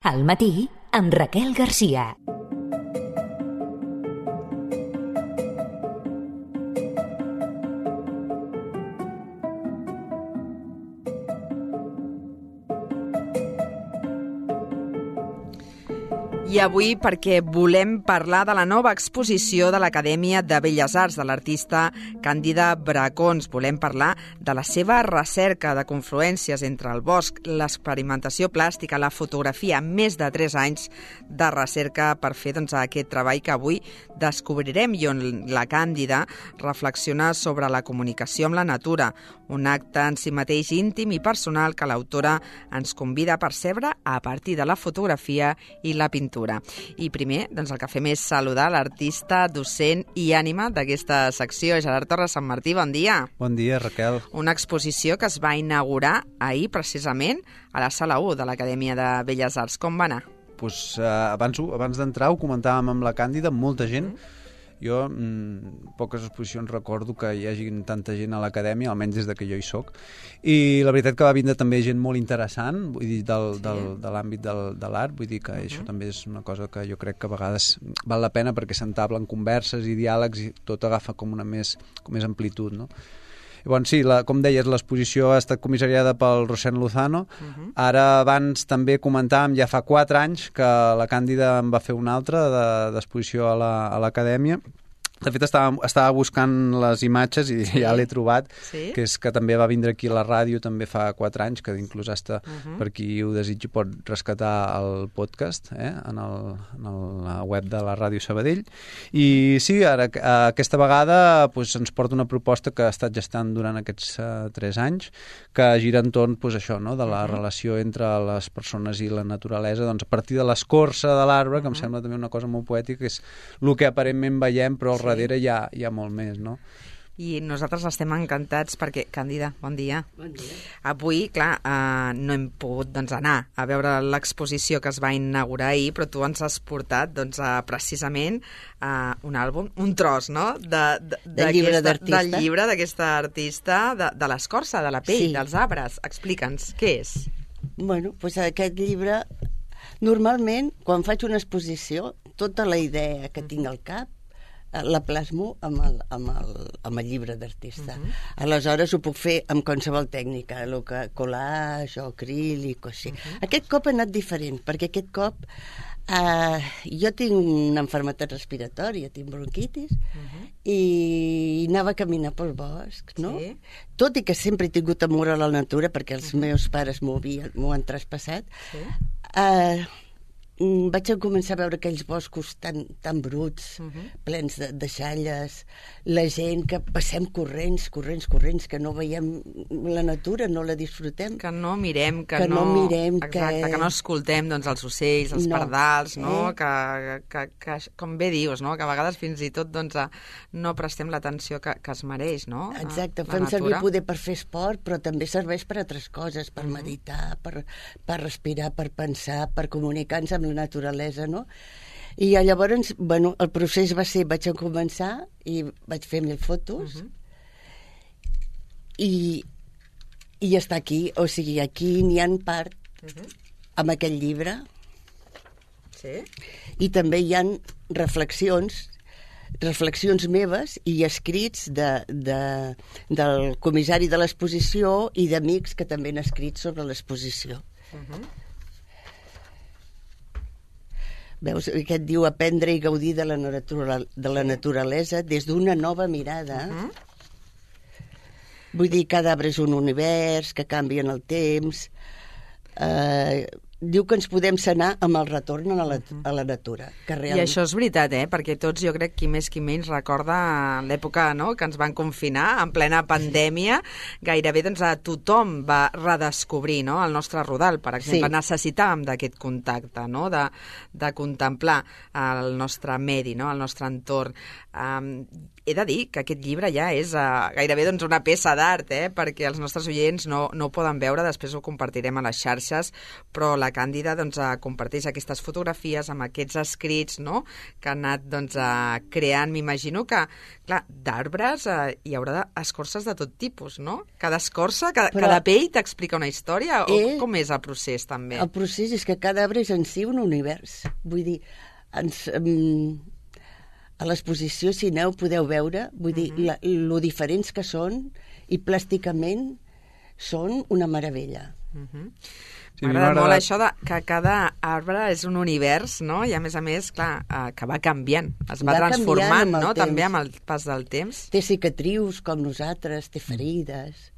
Al matí, amb Raquel Garcia. I avui perquè volem parlar de la nova exposició de l'Acadèmia de Belles Arts de l'artista Càndida Bracons. Volem parlar de la seva recerca de confluències entre el bosc, l'experimentació plàstica, la fotografia, més de 3 anys de recerca per fer aquest treball que avui descobrirem i on la Càndida reflexiona sobre la comunicació amb la natura, un acte en si mateix íntim i personal que l'autora ens convida a percebre a partir de la fotografia i la pintura. I primer, el que fem és saludar l'artista, docent i ànima d'aquesta secció, Gerard Torres Sant Martí. Bon dia. Bon dia, Raquel. Una exposició que es va inaugurar ahir, precisament, a la Sala 1 de l'Acadèmia de Belles Arts. Com va anar? Abans d'entrar ho comentàvem amb la Càndida, molta gent. Jo poques exposicions recordo que hi hagi tanta gent a l'acadèmia, almenys des que jo hi soc, i la veritat que va vindre també gent molt interessant, vull dir, de l'àmbit de l'art, vull dir que això també és una cosa que jo crec que a vegades val la pena perquè s'entablen converses i diàlegs i tot agafa com més amplitud, no? I bon, sí, com deies, l'exposició ha estat comissariada pel Rosén Lozano. Ara abans també comentàvem, ja fa 4 anys que la Càndida en va fer una altra d'exposició a l'acadèmia. De fet, estava buscant les imatges i ja l'he trobat, que és que també va vindre aquí a la ràdio també fa 4 anys, que inclús hasta per qui ho desitgi pot rescatar el podcast en la web de la Ràdio Sabadell. I sí, ara aquesta vegada ens porta una proposta que ha estat gestant durant aquests 3 anys, que gira entorn això, de la relació entre les persones i la naturalesa, a partir de l'escorça de l'arbre, que em sembla també una cosa molt poètica, que és el que aparentment veiem, però al darrere hi ha molt més, no? I nosaltres estem encantats perquè, Càndida, bon dia. Bon dia. Avui, clar, no hem pogut anar a veure l'exposició que es va inaugurar ahir, però tu ens has portat precisament un àlbum, un tros, no? Del llibre d'artista. Del llibre d'aquesta artista, de l'escorça, de la pell, dels arbres. Explica'ns, què és? Bueno, aquest llibre, normalment, quan faig una exposició, tota la idea que tinc al cap la plasmo amb el llibre d'artista. Aleshores ho puc fer amb qualsevol tècnica, collage o acrílic o així. Aquest cop ha anat diferent, perquè aquest cop jo tinc una malaltia respiratòria, tinc bronquitis, i anava a caminar pel bosc, no? Sí. Tot i que sempre he tingut amor a la natura, perquè els meus pares m'ho han traspassat, vaig començar a veure aquells boscos tan bruts, plens de deixalles, la gent que passem corrents, que no veiem la natura, no la disfrutem. Que no mirem, que no escoltem els ocells, els pardals, no? Que, com bé dius, no? Que a vegades fins i tot no prestem l'atenció que es mereix, no? Exacte, fem servir poder per fer esport, però també serveix per altres coses, per meditar, per respirar, per pensar, per comunicar-nos amb la naturalesa, no? I llavors, el procés va ser, vaig començar i vaig fer 1000 fotos i està aquí, o sigui, aquí n'hi ha part amb aquest llibre i també hi ha reflexions meves i escrits del comissari de l'exposició i d'amics que també han escrit sobre l'exposició. Veus, aquest diu aprendre i gaudir de la naturalesa des d'una nova mirada. Vull dir, cada arbre és un univers que canvia en el temps. Diu que ens podem sanar amb el retorn a la natura. I això és veritat, perquè tots, jo crec, qui més qui menys recorda l'època que ens van confinar en plena pandèmia, gairebé tothom va redescobrir el nostre rodal, per exemple. Necessitàvem d'aquest contacte, de contemplar el nostre medi, el nostre entorn. he de dir que aquest llibre ja és gairebé doncs, una peça d'art, perquè els nostres oients no ho poden veure, després ho compartirem a les xarxes, però la Càndida doncs, comparteix aquestes fotografies amb aquests escrits, no?, que ha anat doncs, creant. M'imagino que, clar, d'arbres hi haurà escorces de tot tipus, no? Cada escorça, cada pell t'explica una història? O com és el procés, també? El procés és que cada arbre és en si un univers. Vull dir, a l'exposició, si aneu, podeu veure, vull dir, lo diferents que són, i plàsticament són una meravella. Sí, m'agrada molt això que cada arbre és un univers, no? I a més, clar, que va canviant, es va transformant, no?, també amb el pas del temps. Té cicatrius com nosaltres, té ferides.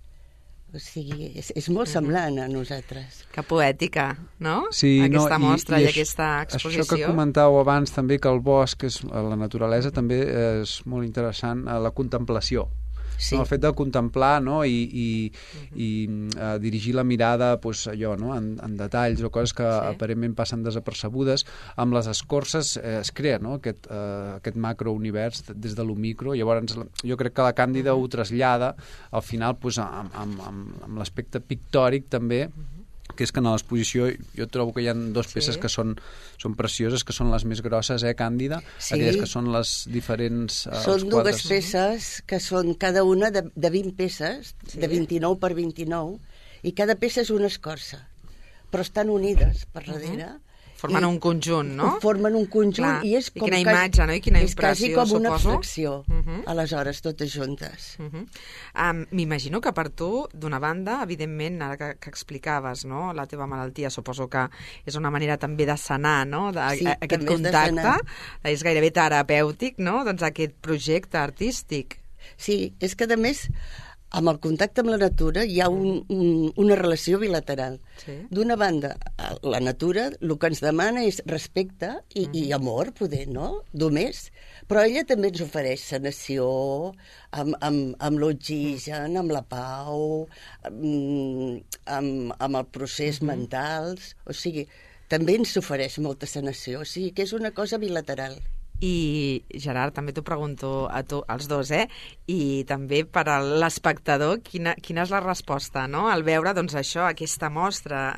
O sigui, és molt semblant a nosaltres. Que poètica, no? Sí, aquesta mostra i aquesta exposició. Això que comentàveu abans també, que el bosc, la naturalesa, també és molt interessant, la contemplació. Sí. El fet de contemplar, no?, i dirigir la mirada pues, allò, no?, en detalls o coses que aparentment passen desapercebudes. Amb les escorces es crea, no?, aquest macrounivers des de lo micro. Llavors jo crec que la Càndida ho trasllada al final pues, amb l'aspecte pictòric també, que és que en l'exposició jo trobo que hi ha dues peces que són precioses, que són les més grosses, Càndida? Sí. Aquelles que són les diferents... Són dues peces que són cada una de 20 peces, de 29 per 29, i cada peça és una escorça, però estan unides per darrere. Formen un conjunt, no? Formen un conjunt. Clar. I és com quina imatge, no? I quina impressió, suposo. És quasi com una suposo. abstracció, aleshores, totes juntes. M'imagino que per tu, d'una banda, evidentment, ara que explicaves, no?, la teva malaltia, suposo que és una manera també de sanar, no?, aquest contacte, és gairebé terapèutic, no?, doncs aquest projecte artístic. Sí, és que, a més, amb el contacte amb la natura hi ha una relació bilateral. Sí. D'una banda, la natura el que ens demana és respecte i amor, poder, no?, només, però ella també ens ofereix sanació, amb l'oxigen, amb la pau, amb el procés mentals, o sigui, també ens ofereix molta sanació, o sigui que és una cosa bilateral. I, Gerard, també t'ho pregunto a tu, als dos, i també per a l'espectador, quina és la resposta, no?, al veure, doncs, això, aquesta mostra,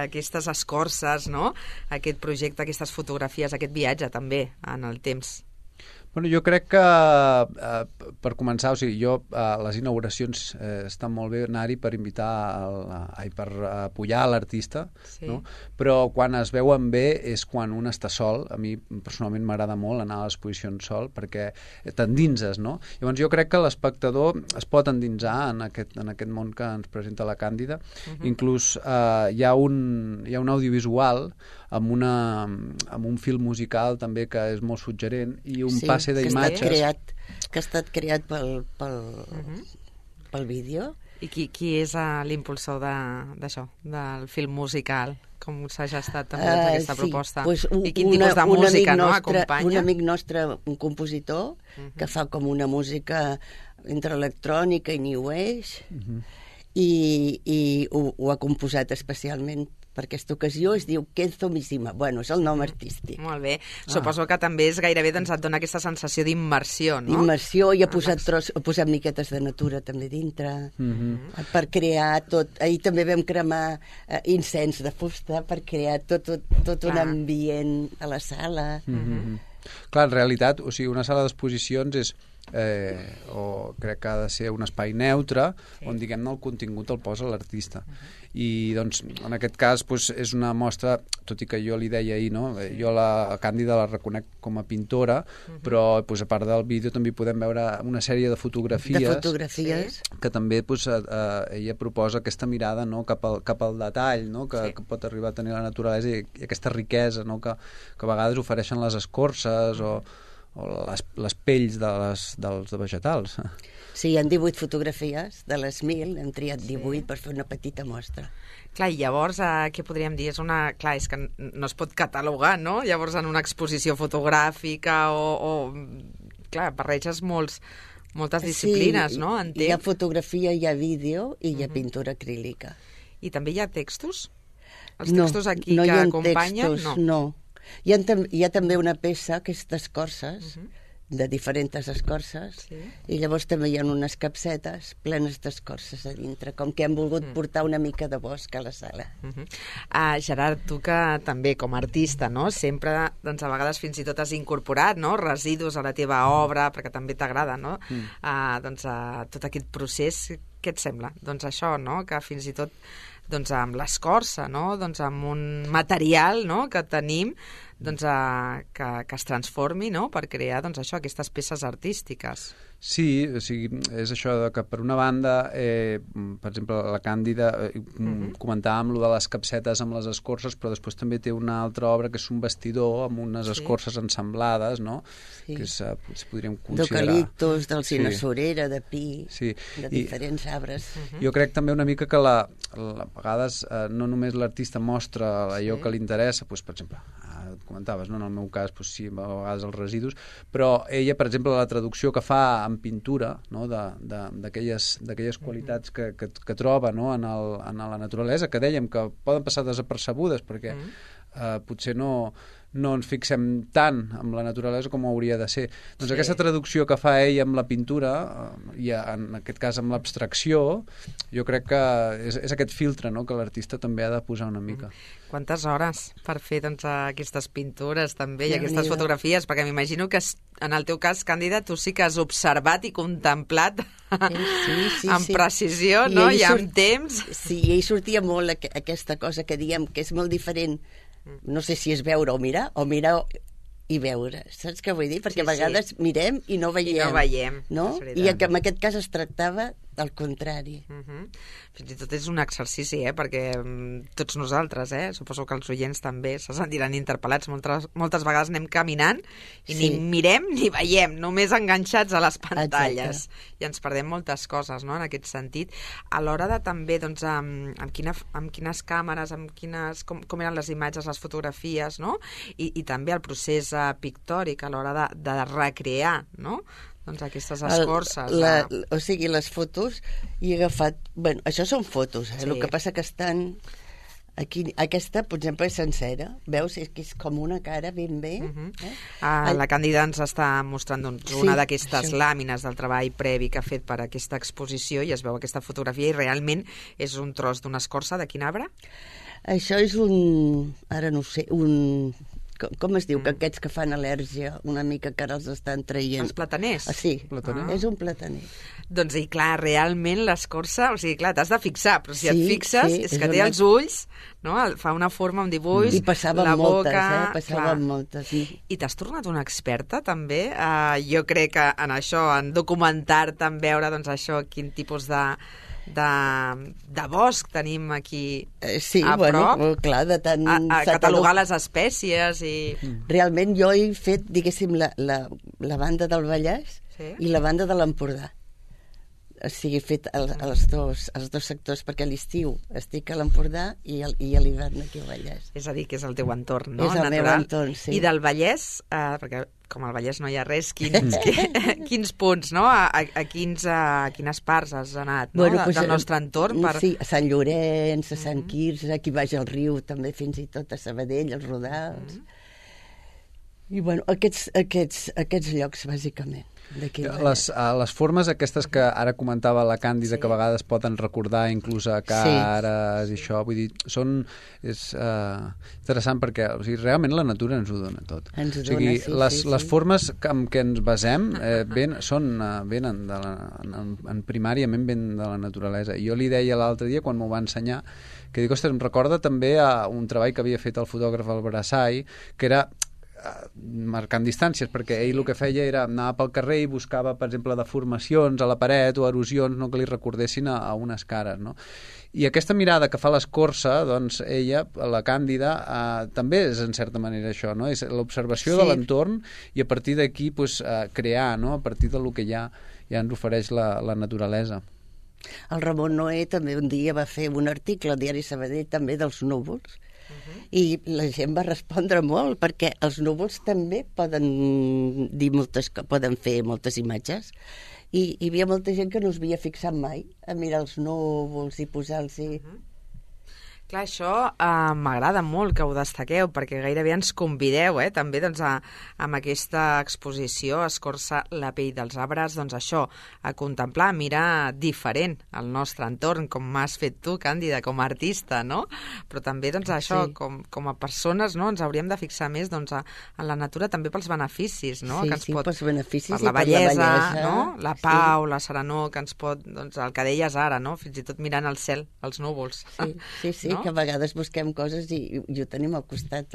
aquestes escorces, no?, aquest projecte, aquestes fotografies, aquest viatge, també, en el temps. Bueno, jo crec que, per començar, o sigui, les inauguracions estan molt bé anar-hi per per apoyar l'artista, no? Però quan es veuen bé és quan un està sol. A mi, personalment, m'agrada molt anar a l'exposició sol, perquè t'endinses, no? Llavors, jo crec que l'espectador es pot endinsar en aquest món que ens presenta la Càndida. Inclús hi ha un audiovisual amb un film musical també que és molt suggerent i un passe d'imatges. Que ha estat creat pel vídeo. I qui és l'impulsor d'això, del film musical? Com s'ha gestat també aquesta proposta? I quin tipus de música acompanya? Un amic nostre, un compositor, que fa com una música entre electrònica i new age, i ho ha composat especialment per aquesta ocasió, es diu Kenzo Mishima. Bueno, és el nom artístic. Molt bé. Suposo que també és gairebé, doncs, et dona aquesta sensació d'immersió, no? D'immersió, i ha posat miquetes de natura també dintre, per crear tot. Ahir també vam cremar incens de fusta per crear tot un ambient a la sala. Clar, en realitat, o sigui, una sala d'exposicions és o crec que ha de ser un espai neutre on, diguem-ne, el contingut el posa l'artista. I, doncs, en aquest cas és una mostra, tot i que jo li deia ahir, no? Jo la Càndida la reconec com a pintora, però a part del vídeo també podem veure una sèrie de fotografies que també ella proposa aquesta mirada, no?, cap al detall, no?, que pot arribar a tenir la naturalesa, i aquesta riquesa, no?, que a vegades ofereixen les escorces o les pells dels vegetals. Sí, hi ha 18 fotografies de les 1.000, hem triat 18 per fer una petita mostra. Clar, i llavors, què podríem dir? Clar, és que no es pot catalogar, no? Llavors, en una exposició fotogràfica clar, barreges moltes disciplines, no? Hi ha fotografia, hi ha vídeo i hi ha pintura acrílica. I també hi ha textos? Els textos aquí que acompanyen? No. Hi ha també una peça que és d'escorces, de diferents escorces, i llavors també hi ha unes capsetes plenes d'escorces a dintre, com que hem volgut portar una mica de bosc a la sala. Gerard, tu que també com a artista, no? Sempre, doncs, a vegades fins i tot has incorporat, no? Residus a la teva obra, perquè també t'agrada, no? Doncs, tot aquest procés, què et sembla? Doncs això, no? Que fins i tot doncs, amb l'escorça, no? Doncs, amb un material, no? Que tenim, doncs, que es transformi, no? Per crear, doncs, això, aquestes peces artístiques. Sí, o sigui, és això que per una banda, per exemple, la Càndida, comentàvem lo de les capsetes amb les escorces, però després també té una altra obra que és un vestidor amb unes escorces ensamblades, no? Que podríem considerar... D'eucaliptus, d'alzina-sorera, de pi, de diferents arbres. Jo crec també una mica que a vegades no només l'artista mostra allò que li interessa, doncs, per exemple, comentaves, no? En el meu cas, doncs, sí, a vegades els residus, però ella, per exemple, la traducció que fa en pintura, no? d'aquelles qualitats que troba, no? en la naturalesa, que dèiem que poden passar desapercebudes perquè potser no ens fixem tant en la naturalesa com hauria de ser. Doncs aquesta traducció que fa ell amb la pintura, i en aquest cas amb l'abstracció, jo crec que és aquest filtre, no? Que l'artista també ha de posar una mica. Quantes hores per fer, doncs, aquestes pintures també i aquestes fotografies? Perquè m'imagino que en el teu cas, Càndida, tu sí que has observat i contemplat amb precisió, no? I amb temps. Sí, i ell sortia molt aquesta cosa que diem que és molt diferent. No sé si és veure o mirar i veure, saps què vull dir? Perquè a vegades mirem i no veiem. I no veiem, no? I en aquest cas es tractava al contrari. Fins i tot és un exercici, perquè tots nosaltres, suposo que els oients també se sentiran interpel·lats. Moltes vegades anem caminant i ni mirem ni veiem, només enganxats a les pantalles. I ens perdem moltes coses, no?, en aquest sentit. A l'hora de també, doncs, amb quines càmeres, com eren les imatges, les fotografies, no? I també el procés pictòric a l'hora de recrear, no?, doncs aquestes escorces. O sigui, les fotos he agafat... Bueno, això són fotos, el que passa que estan... Aquí, aquesta, per exemple, és sencera. Veus? És que és com una cara ben bé. La Càndida ens està mostrant una d'aquestes làmines del treball previ que ha fet per aquesta exposició i es veu aquesta fotografia i realment és un tros d'una escorça. De quin arbre? Això és un... Ara no sé, un... Com es diu? Que aquests que fan al·lèrgia una mica que ara els estan traient. Els plataners? Sí, és un plataner. Doncs, i clar, realment l'escorça, o sigui, clar, t'has de fixar, però si et fixes, és que té els ulls, no? Fa una forma, un dibuix, i passaven la boca... passaven moltes. I t'has tornat una experta, també? Jo crec que en això, en documentar-te, en veure, doncs, això, quin tipus de bosc tenim aquí a prop, clar, de tant... A catalogar les espècies i... Realment jo he fet, diguéssim, la banda del Vallès i la banda de l'Empordà. O sigui, he fet els dos sectors, perquè a l'estiu estic a l'Empordà i a l'hivern aquí al Vallès. És a dir, que és el teu entorn, no? És el meu entorn, sí. I del Vallès, perquè com al Vallès no hi ha res, quins punts, no? A quines parts has anat, no? Del nostre entorn? Sí, a Sant Llorenç, a Sant Quirze, aquí baix al riu, també fins i tot a Sabadell, als Rodals. I, bueno, aquests llocs, bàsicament. Les formes aquestes que ara comentava la Càndida, que a vegades poden recordar inclús a cares i això, vull dir, és interessant perquè, o sigui, realment la natura ens ho dona tot. Ens ho dona, les formes en què ens basem venen primàriament ben de la naturalesa. I jo li deia l'altre dia, quan m'ho va ensenyar, que dic, ostres, em recorda també a un treball que havia fet el fotògraf al Brassai, que era marcant distàncies, perquè ell el que feia era anar pel carrer i buscava, per exemple, deformacions a la paret o erosions, no, que li recordessin a unes cares, no? I aquesta mirada que fa l'escorça, doncs ella, la Càndida, també és en certa manera això, no? És l'observació de l'entorn i a partir d'aquí crear, no? A partir del que ja ens ofereix la naturalesa. El Ramon Noé també un dia va fer un article al diari Sabadell també dels núvols, i la gent va respondre molt, perquè els núvols també poden fer moltes imatges, i hi havia molta gent que no es havia fixat mai a mirar els núvols i posar-los... Clar, això m'agrada molt que ho destaqueu, perquè gairebé ens convideu també doncs, amb aquesta exposició Escorça la pell dels arbres, doncs això, a contemplar, a mirar diferent el nostre entorn, com has fet tu, Càndida, com a artista, no? Però també doncs, això, com a persones, no? Ens hauríem de fixar més doncs, en la natura també pels beneficis, no? Sí, que ens pot, pels beneficis per la bellesa, no? La pau, la serenor, que ens pot, doncs, el que deies ara, no? Fins i tot mirant el cel, els núvols. Sí, no? Que a vegades busquem coses i ho tenim al costat.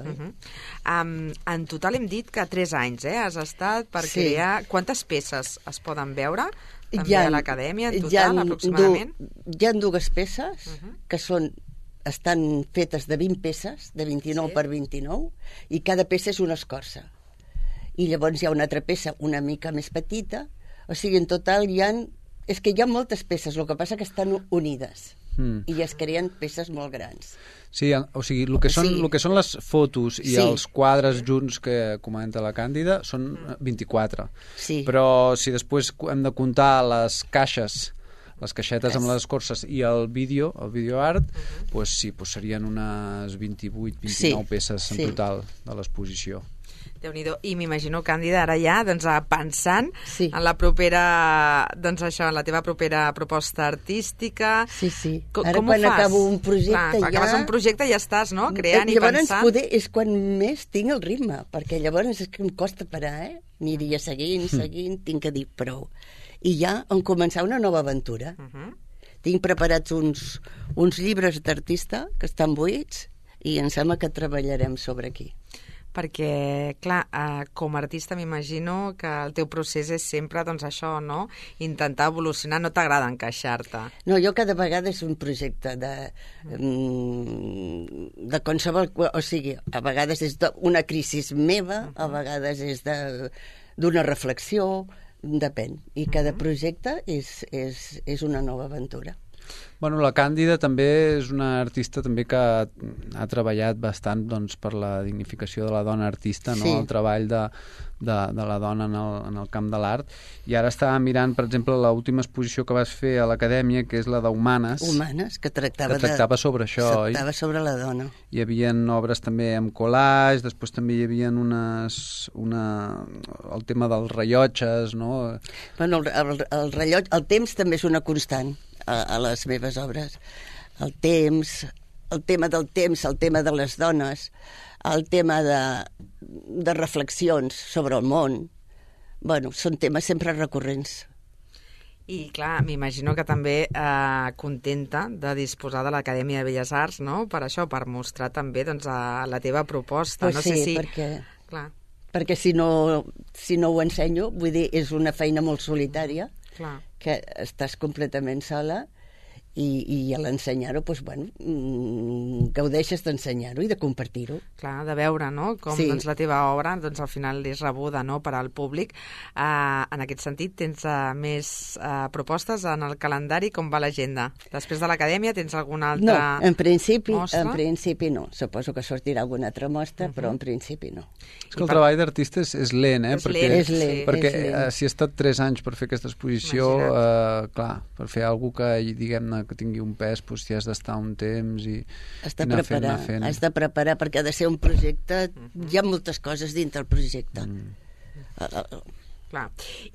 En total hem dit que 3 anys has estat per crear... Quantes peces es poden veure també a l'acadèmia en total, aproximadament? Hi ha 2 peces que estan fetes de 20 peces, de 29 per 29, i cada peça és una escorça. I llavors hi ha una altra peça una mica més petita, o sigui, en total és que hi ha moltes peces, el que passa que estan unides. I es creen peces molt grans. Sí, o sigui, el que són les fotos i els quadres junts que comenta la Càndida són 24. Sí. Però si després hem de comptar les caixes, les caixetes amb les escorces i el vídeo art, doncs sí, serien unes 28-29 peces en total de l'exposició. Déu-n'hi-do. I m'imagino, Càndida, ara ja pensant en la propera, doncs això, en la teva propera proposta artística. Sí. Ara quan acabo un projecte acabes un projecte i ja estàs, no? Creant i pensant. Llavors poder és quan més tinc el ritme, perquè llavors és que em costa parar, Aniria seguint, tinc que dir prou. I ja en començar una nova aventura. Tinc preparats uns llibres d'artista que estan buits i em sembla que treballarem sobre aquí. Perquè, clar, com a artista m'imagino que el teu procés és sempre, doncs això, no? Intentar evolucionar, no t'agrada encaixar-te. No, jo cada vegada és un projecte de qualsevol... O sigui, a vegades és una crisi meva, a vegades és d'una reflexió, depèn. I cada projecte és una nova aventura. Bueno, la Càndida també és una artista també que ha treballat bastant doncs, per la dignificació de la dona artista, no? El treball de la dona en el camp de l'art. I ara estava mirant, per exemple, l'última exposició que vas fer a l'Acadèmia, que és la d'Humanes. Humanes, que tractava sobre això, oi? Tractava sobre la dona. Hi havia obres també amb collage, després també hi havia el tema dels rellotges, no? Bueno, el rellotge, el temps també és una constant a les meves obres. El tema del temps, el tema de les dones, el tema de reflexions sobre el món. Bueno, són temes sempre recurrents. I, clar, m'imagino que també contenta de disposar de l'Acadèmia de Belles Arts, no?, per això, per mostrar també doncs, la teva proposta. Pues sí, perquè si no ho ensenyo, vull dir, és una feina molt solitària, que estàs completament sola, i a l'ensenyar-ho, doncs, bueno, gaudeixes d'ensenyar-ho i de compartir-ho. Clar, de veure, no?, com doncs, la teva obra doncs, al final és rebuda, no?, per al públic. En aquest sentit, tens més propostes en el calendari? Com va l'agenda? Després de l'Acadèmia tens alguna altra mostra? No, en principi no. Suposo que sortirà alguna altra mostra, però en principi no. És que el treball d'artista és lent, És lent. Perquè si ha estat 3 anys per fer aquesta exposició, clar, per fer alguna cosa que, diguem-ne, que tingui un pes, doncs hi has d'estar un temps i anar fent. Has de preparar, perquè ha de ser un projecte, hi ha moltes coses dintre el projecte. Clar,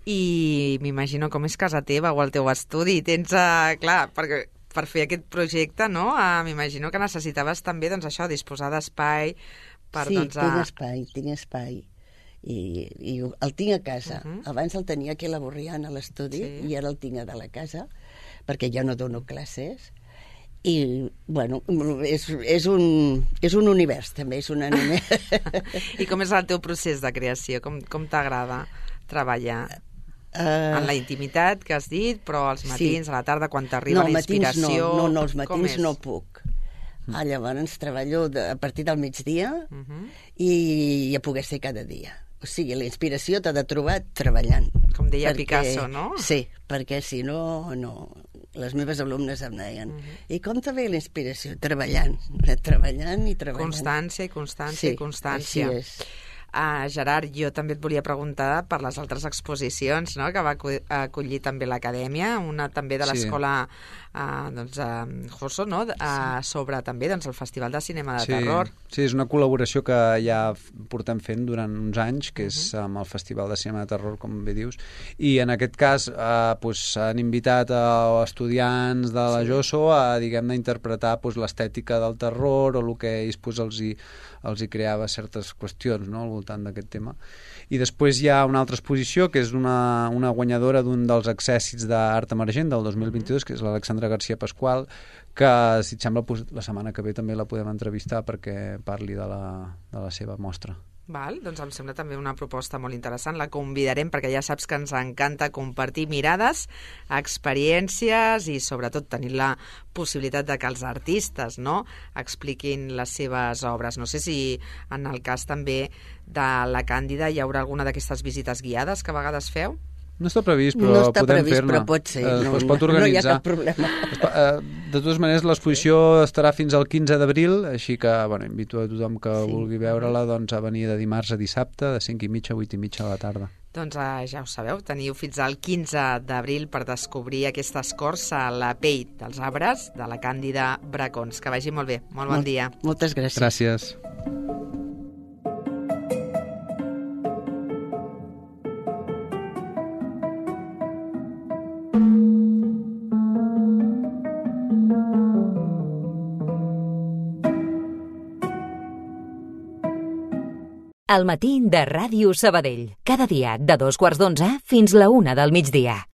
i m'imagino com és casa teva o el teu estudi, tens, clar, perquè per fer aquest projecte, no? M'imagino que necessitaves també, doncs això, disposar d'espai per, doncs... Sí, tinc espai. I el tinc a casa. Abans el tenia aquí a la Borriana, a l'estudi, i ara el tinc a la casa, perquè ja no dono classes, i, bueno, és un univers, també, és una... I com és el teu procés de creació? Com t'agrada treballar? En la intimitat, que has dit, però als matins, a la tarda, quan t'arriba la inspiració... No, els matins no puc. Llavors treballo a partir del migdia i a poder ser cada dia. O sigui, la inspiració t'ha de trobar treballant. Com deia Picasso, no? Sí, perquè si no, no. Les meves alumnes em deien, i com te ve la inspiració? Treballant i treballant. Constància i constància i constància. Així és. Gerard, jo també et volia preguntar per les altres exposicions, no?, que va acollir també l'Acadèmia, una també de l'escola Josso, no?, sobre també el Festival de Cinema de Terror. Sí, és una col·laboració que ja portem fent durant uns anys, que és amb el Festival de Cinema de Terror, com bé dius, i en aquest cas han invitat a estudiants de la Josso a, diguem-ne, interpretar l'estètica del terror o el que ells els hi creava certes qüestions, no?, al voltant d'aquest tema. I després hi ha una altra exposició que és una guanyadora d'un dels accèssits d'art emergent del 2022, que és l'Alexandra García Pascual, que, si et sembla, la setmana que ve també la podem entrevistar perquè parli de la seva mostra. Val, doncs em sembla també una proposta molt interessant. La convidarem perquè ja saps que ens encanta compartir mirades, experiències i sobretot tenir la possibilitat de que els artistes, no?, expliquin les seves obres. No sé si en el cas també de la Càndida hi haurà alguna d'aquestes visites guiades que a vegades feu? No està previst, però no està podem previst, fer-ne. Però pot ser. Es pot organitzar. No hi ha cap problema. De totes maneres, l'exposició estarà fins al 15 d'abril, així que invito a tothom que vulgui veure-la a venir de dimarts a dissabte, de 5:30 a 8:30 de la tarda. Doncs ja ho sabeu, teniu fins al 15 d'abril per descobrir aquesta escorça a la pell dels arbres de la Càndida Bracons. Que vagi molt bé. Molt bon dia. Moltes gràcies. Gràcies. El matí de Ràdio Sabadell. Cada dia de 2:15 fins la 1 del migdia.